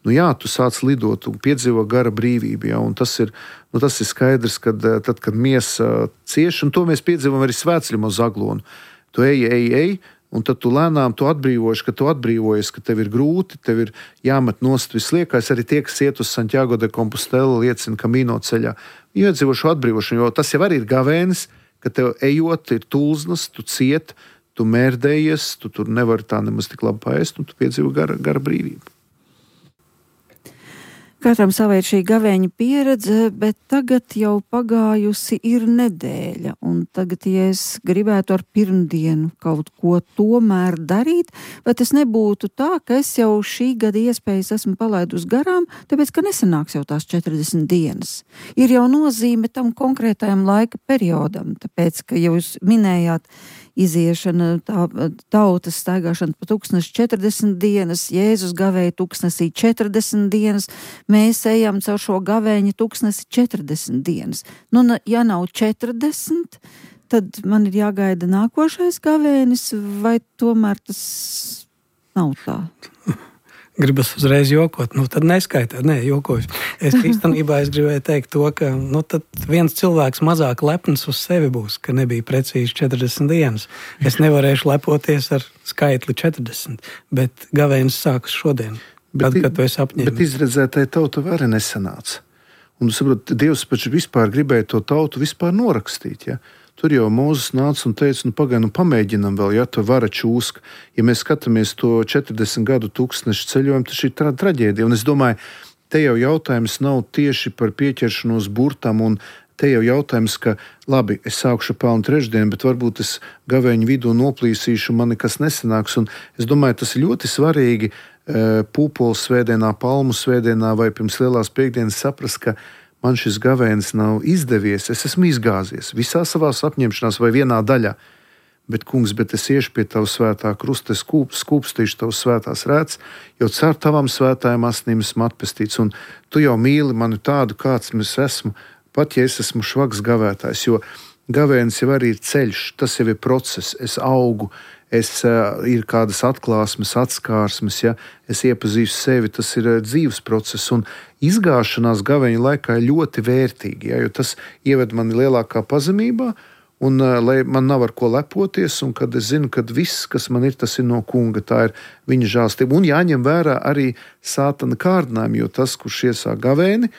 nu jā, tu sāc lidot un piedzīvo gara brīvību. Jā, un tas ir, nu, tas ir skaidrs, kad tad, kad miesa cieš, un to mēs piedzīvam arī svētceļam uz Aglonu. Tu ej, ej, ej, un tad tu lēnām tu atbrīvojies, ka tu atbrīvojies, ka tev ir grūti, tev ir jāmet nost visliekais. Arī tie, kas iet uz Santiago de Compostela, liecina Camino ceļā. Iedzīvo šo atbrīvošanu, jo tas jau arī ir gavēnis, ka tev ejot ir tulznas, tu ciet, tu mērdējies, tu tur nevari tā nemaz tik labi paēst, un tu piedzīvo gara, gara brīvību. Katram savai šī gavēņa pieredze, bet tagad jau pagājusi ir nedēļa, un tagad, ja es gribētu ar pirmdienu kaut ko tomēr darīt, vai tas nebūtu tā, ka es jau šī gada iespējas esmu palaidus garām, tāpēc, ka nesanāks jau tās četrdesmit dienas. Ir jau nozīme tam konkrētajam laika periodam, tāpēc, ka jau jūs minējāt, iziešana, tā, tautas staigāšana pa tūkstnesi četrdesmit dienas, Jēzus gavēja tūkstnesī četrdesmit dienas, mēs ejam caur šo gavēņa tūkstnesi četrdesmit dienas. Nu, ja nav četrdesmit, tad man ir jāgaida nākošais gavēnis, vai tomēr tas nav tā? Gribas uzreiz jokot, nu tad neskaitāt, nē, jokoju. Es īstenībā es gribēju teikt to, ka nu, tad viens cilvēks mazāk lepns uz sevi būs, ka nebija precīzi četrdesmit dienas. Es nevarēšu lepoties ar skaitli četrdesmit, bet gavēnis sākas šodien, bet, kad, kad tu esi apņēmis. Bet izredzētai tauta vairs nesanāca. Un, saprot, Dievs paši vispār gribēja to tautu vispār norakstīt, ja? Tur jau Mūzes nāca un teica, nu pagaid, nu pamēģinam vēl, ja tu vara čūska. Ja mēs skatāmies to četrdesmit gadu tūkstnešu ceļojumu, tas ir tra traģēdija. Un es domāju, te jau jautājums nav tieši par pieķeršanos burtam, un te jau jautājums, ka labi, es sākšu pelnu trešdienu, bet varbūt es gavēņu vidū noplīsīšu, man nekas nesanāks. Un es domāju, tas ir ļoti svarīgi pūpoles svētdienā, palmu svētdienā vai pirms lielās piekdienas saprast, ka man šis gavēnis nav izdevies, es esmu izgāzies visā savās apņemšanās vai vienā daļā. Bet, kungs, bet es iešu pie tava svētā krusta, es skūp, skūpstīšu tavas svētās rētas, jo caur tavām svētājām asinīm esmu atpestīts. Un tu jau mīli mani tādu, kāds es esmu, pat ja es esmu švags gavētājs, jo gavēnis jau arī ir ceļš, tas jau ir process, es augu, es, uh, ir kādas atklāsmes, atskārsmes, ja? Es iepazīstu sevi, tas ir uh, dzīves process, un izgāšanās gavēņa laikā ir ļoti vērtīgi, ja? Jo tas ieved mani lielākā pazemībā, un uh, lai man nav ar ko lepoties, un kad es zinu, ka viss, kas man ir, tas ir no kunga, tā ir viņa žālstība, un jāņem vērā arī sātana kārdinājumi, jo tas, kurš iesāk gavēni,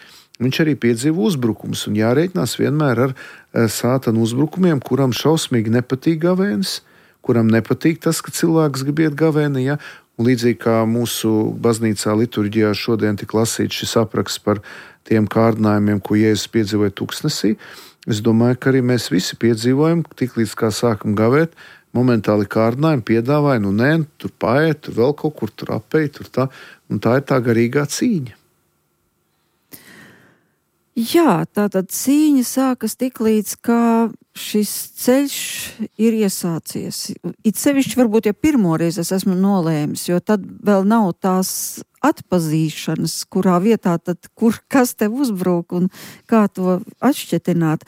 viņš arī piedzīvo uzbrukumus, un jārēķinās vienmēr ar uh, sātana uzbrukumiem, kuram šausmīgi nepatīk gavēnis, kuram nepatīk tas, ka cilvēks grib iet gavēni, ja? Un līdzīgi kā mūsu baznīcā liturģijā šodien tika lasīts šis apraksts par tiem kārdinājumiem, ko Jēzus piedzīvoja tūkstnesī, es domāju, ka arī mēs visi piedzīvojam, tik līdz kā sākam gavēt, momentāli kārdinājumi piedāvāja, nu nē, tur paēt, tur vēl kaut kur, tur apēj, tur tā, un tā ir tā garīgā cīņa. Jā, tātad cīņa sākas tik līdz, kā šis ceļš ir iesācies. It sevišķi varbūt, ja pirmoreiz es esmu nolēmis, jo tad vēl nav tās atpazīšanas, kurā vietā tad, kur, kas tev uzbrūk un kā to atšķetināt.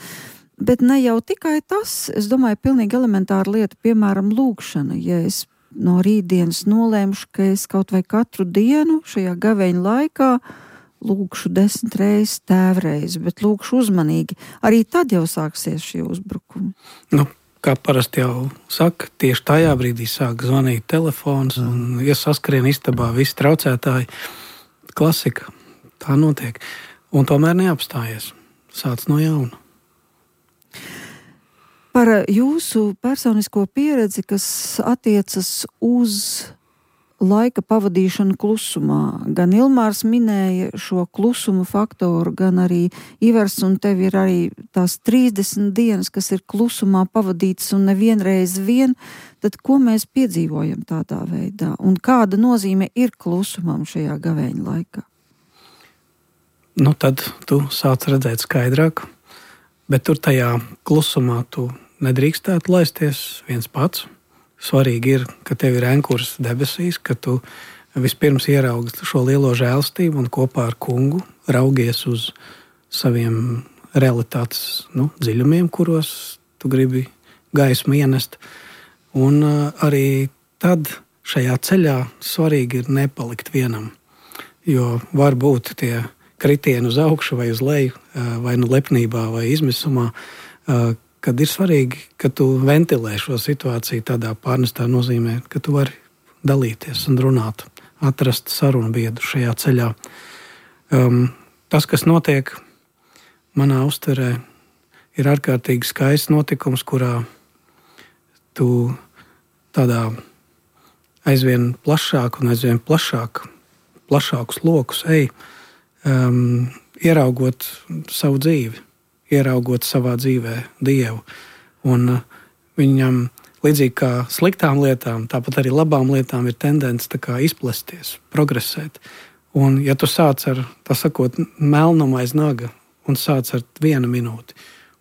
Bet ne jau tikai tas, es domāju, pilnīgi elementāra lieta, piemēram, lūgšana. Ja es no rītdienas nolēmušu, ka es kaut vai katru dienu šajā gavēņa laikā lūkšu desmit reizes tēvreiz, bet lūkšu uzmanīgi. Arī tad jau sāksies šie uzbrukumi. Nu, kā parasti jau saka, tieši tajā brīdī sāk zvanīt telefons, un ja saskrien istabā visi traucētāji, klasika, tā notiek. Un tomēr neapstājies. Sāc no jauna. Par jūsu personisko pieredzi, kas attiecas uz laika pavadīšana klusumā. Gan Ilmārs minēja šo klusuma faktoru, gan arī Ivars, un tev ir arī tās trīsdesmit dienas, kas ir klusumā pavadītas un nevienreiz vien, tad ko mēs piedzīvojam tādā veidā? Un kāda nozīme ir klusumam šajā gavēņa laikā? Nu, tad tu sāc redzēt skaidrāk, bet tur tajā klusumā tu nedrīkstētu laisties viens pats. Svarīgi ir, ka tev ir ankurs debesīs, ka tu vispirms ieraugi šo lielo žēlstību un kopā ar kungu raugies uz saviem realitātes nu, dziļumiem, kuros tu gribi gaismu ienest. Un uh, arī tad šajā ceļā svarīgi ir nepalikt vienam, jo var būt tie kritieni uz augšu vai uz leju, uh, vai nu lepnībā vai izmisumā, uh, kad ir svarīgi, ka tu ventilē šo situāciju tādā pārnestā nozīmē, ka tu vari dalīties un runāt, atrast sarunu biedru šajā ceļā. Um, tas, kas notiek manā uztverē, ir ārkārtīgi skaists notikums, kurā tu tādā aizvien plašāk un aizvien plašāk, plašākus lokus ej, um, ieraugot savu dzīvi, ieraugot savā dzīvē Dievu. Un uh, viņam, līdzīgi kā sliktām lietām, tāpat arī labām lietām ir tendence tā kā izplesties, progresēt. Un ja tu sāc ar, tā sakot, melnumu aiz naga un sāc ar vienu minūti,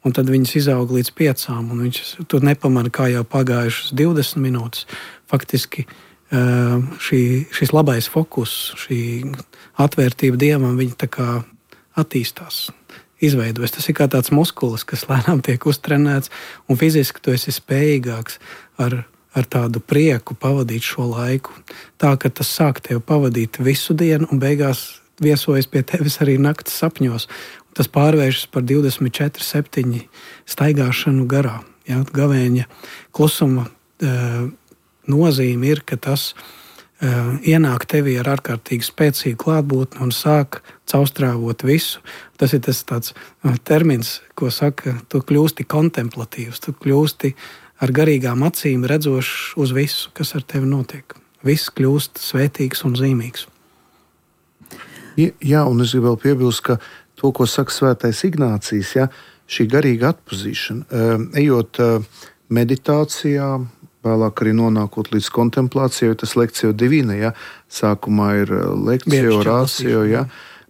un tad viņas izaug līdz piecām, un viņš tur nepamana, kā jau pagājušas divdesmit minūtes. Faktiski šī, šis labais fokus, šī atvērtība Dievam, viņa tā kā attīstās, izveidojas. Tas ir kā tāds muskulis, kas lēnām tiek uztrenēts, un fiziski tu esi spējīgāks ar, ar tādu prieku pavadīt šo laiku. Tā, ka tas sāk tev pavadīt visu dienu, un beigās viesojas pie tevis arī naktas sapņos. Tas pārvēršas par divdesmit četri septiņi staigāšanu garā. Ja? Gavēņa klusuma e, nozīme ir, ka tas e, ienāk tevī ar ārkārtīgi spēcīgu klātbūtni un sāk caurstrāvot visu. Tas ir tas tāds termins, ko saka, tu kļūsti kontemplatīvs, tu kļūsti ar garīgām acīm redzošs uz visu, kas ar tevi notiek. Viss kļūst svētīgs un zīmīgs. Jā, un es gribu vēl piebilst, ka to, ko saka svētais Ignācijs, ja, šī garīga atpazīšana, ejot meditācijā, vēlāk arī nonākot līdz kontemplācijai, jo tas lekcija divina, ja, sākumā ir lekcija, orācija, ja,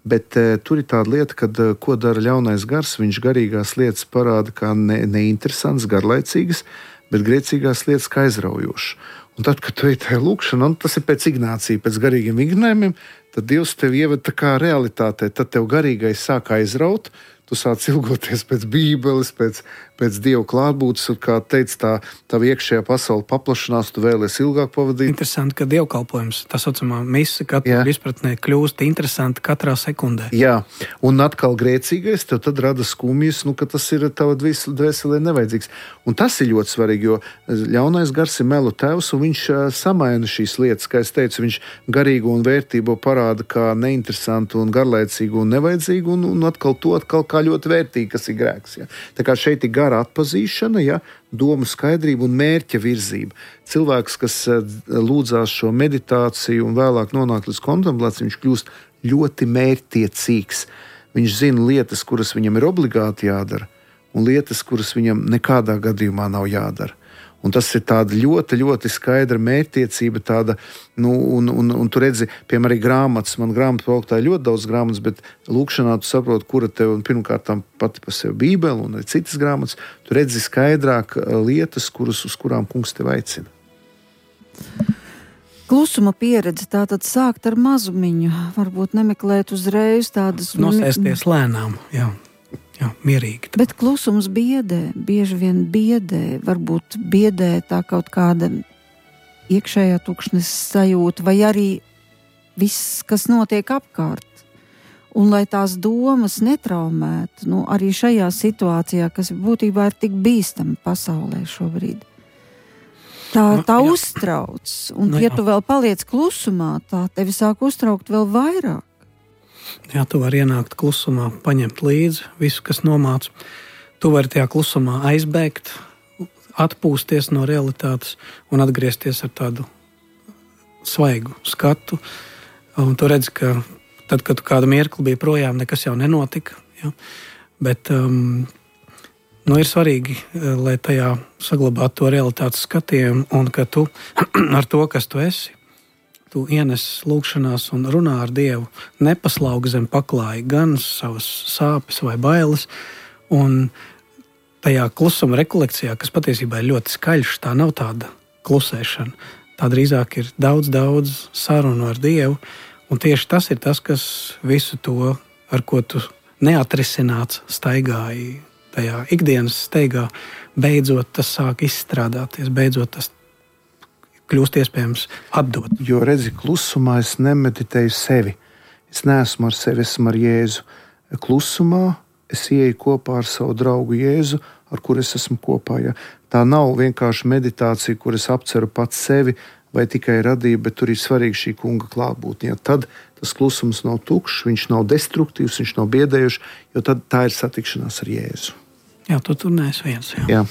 bet tur ir tāda lieta, kad ko dara ļaunais gars, viņš garīgās lietas parāda kā ne, neinteresants, garlaicīgas, bet grēcīgās lietas kā aizraujošas. Un tad, kad tu ej tajā lūkšanā, un tas ir pēc Ignācija, pēc garīgiem vingrinājumiem, tad Dievs tevi ieved tā kā realitātē, tad tev garīgais sāk aizraut, tu sāc ilgoties pēc Bībeles, pēc, pēc Dieva klātbūtnes, un kā teica, tā tava iekšējā pasaule paplašanās, tu vēlies ilgāk pavadīt. Interesanti, ka dievkalpojums, tā saucamā mise, katrā izpratnē kļūst interesanti katrā sekundē. Jā, un atkal grēcīgais, tev tad rada skumjas, nu, ka tas ir tava dvēselē nevajadzīgs. Un tas ir ļoti svarīgi, jo ļaunais gars ir melu tevs, un viņš samaina šīs lietas, kā es teicu, viņš garīgu un vērtību parāda kā neinteresantu un garlaicīgu un nevajadzīgu, un, un atkal to atkal kā ļoti vērtīgi, kas ir grēks. Ja? Tā kā šeit ir gara atpazīšana, ja? Domu skaidrība un mērķa virzība. Cilvēks, kas lūdzās šo meditāciju un vēlāk nonāk līdz kontemplācijai, viņš kļūst ļoti mērķtiecīgs. Viņš zina lietas, kuras viņam ir obligāti jādara, un lietas, kuras viņam nekādā gadījumā nav jādara. Un tas ir tāda ļoti, ļoti skaidra mērķtiecība, tāda, nu, un, un, un tu redzi, piemēram, arī grāmatas, man grāmatu plauktā ir ļoti daudz grāmatas, bet lūkšanā tu saproti, kura tev, un pirmkārt pati pa sevi Bībele un arī citas grāmatas, tu redzi skaidrāk lietas, kuras, uz kurām kungs tev aicina. Klusuma pieredze tātad sākt ar mazumiņu, varbūt nemeklēt uzreiz tādas... Nosēsties lēnām, jā. Jā, mierīgi. Bet klusums biedē, bieži vien biedē, varbūt biedē tā kaut kāda iekšējā tukšnes sajūta, vai arī viss, kas notiek apkārt. Un lai tās domas netraumētu, nu, arī šajā situācijā, kas būtībā ir tik bīstama pasaulē šobrīd. Tā, tā nu, uztrauc, un nu, ja tu vēl paliec klusumā, tā tevi sāk uztraukt vēl vairāk. Jā, tu vari ienākt klusumā, paņemt līdzi visu, kas nomāc. Tu vari tajā klusumā aizbēgt, atpūsties no realitātes un atgriezties ar tādu svaigu skatu. Un tu redzi, ka tad, kad tu kādu mirkli biji projām, nekas jau nenotika. Ja? Bet um, nu, ir svarīgi, lai tajā saglabātu to realitātes skatījumu un ka tu ar to, kas tu esi, tu ienes lūkšanās un runā ar Dievu, nepaslaugi zem paklāja gan savas sāpes vai bailes, un tajā klusuma rekolekcijā, kas patiesībā ir ļoti skaļš, tā nav tāda klusēšana. Tā drīzāk ir daudz, daudz sarunu ar Dievu, un tieši tas ir tas, kas visu to, ar ko tu neatrisināts staigāji tajā ikdienas steigā, beidzot tas sāk izstrādāties, beidzot tas kļūst iespējams atdot. Jo redzi, klusumā es nemeditēju sevi. Es neesmu ar sevi, esmu ar Jēzu. Klusumā es ieeju kopā ar savu draugu Jēzu, ar kuru es esmu kopā. Ja. Tā nav vienkārši meditācija, kur es apceru pats sevi vai tikai radību, bet tur ir svarīgi šī kunga klātbūtne. Ja. Tad tas klusums nav tukšs, viņš nav destruktīvs, viņš nav biedējošs, jo tad tā ir satikšanās ar Jēzu. Jā, tu tur neesi viens. Jā. Jā.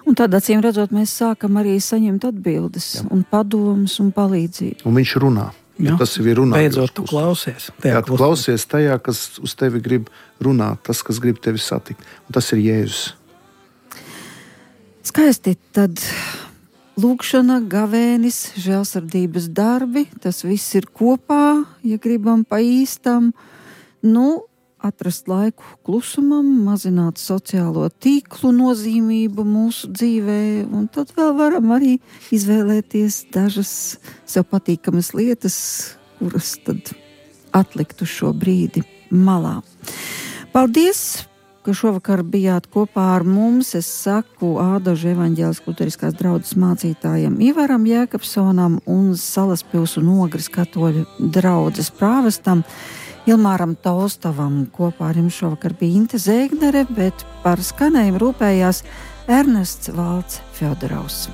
Un tad, acīm redzot, mēs sākam arī saņemt atbildes, jā, un padomus un palīdzību. Un viņš runā. Jā. Tas ir runājot. Beidzot, tu klausies. Jā, tu klausies tajā, kas uz tevi grib runāt, tas, kas grib tevi satikt. Un tas ir Jēzus. Skaisti, tad lūkšana, gavēnis, žēlsirdības darbi, tas viss ir kopā, ja gribam pa īstam. Nu, atrast laiku klusumam, mazināt sociālo tīklu nozīmību mūsu dzīvē, un tad vēl varam arī izvēlēties dažas sev patīkamas lietas, kuras tad atlikt uz šo brīdi malā. Paldies, ka šovakar bijāt kopā ar mums. Es saku Ādažu evaņģēliskās luteriskās draudzes mācītājam Ivaram Jēkabsonam un Salaspils un Ogres katoļu draudzes prāvestam Ilmāram Tolstovam. Kopā ar jums šovakar bija Inte Zēgnere, bet par skanējumu rūpējās Ernests Valds Fjodorovs.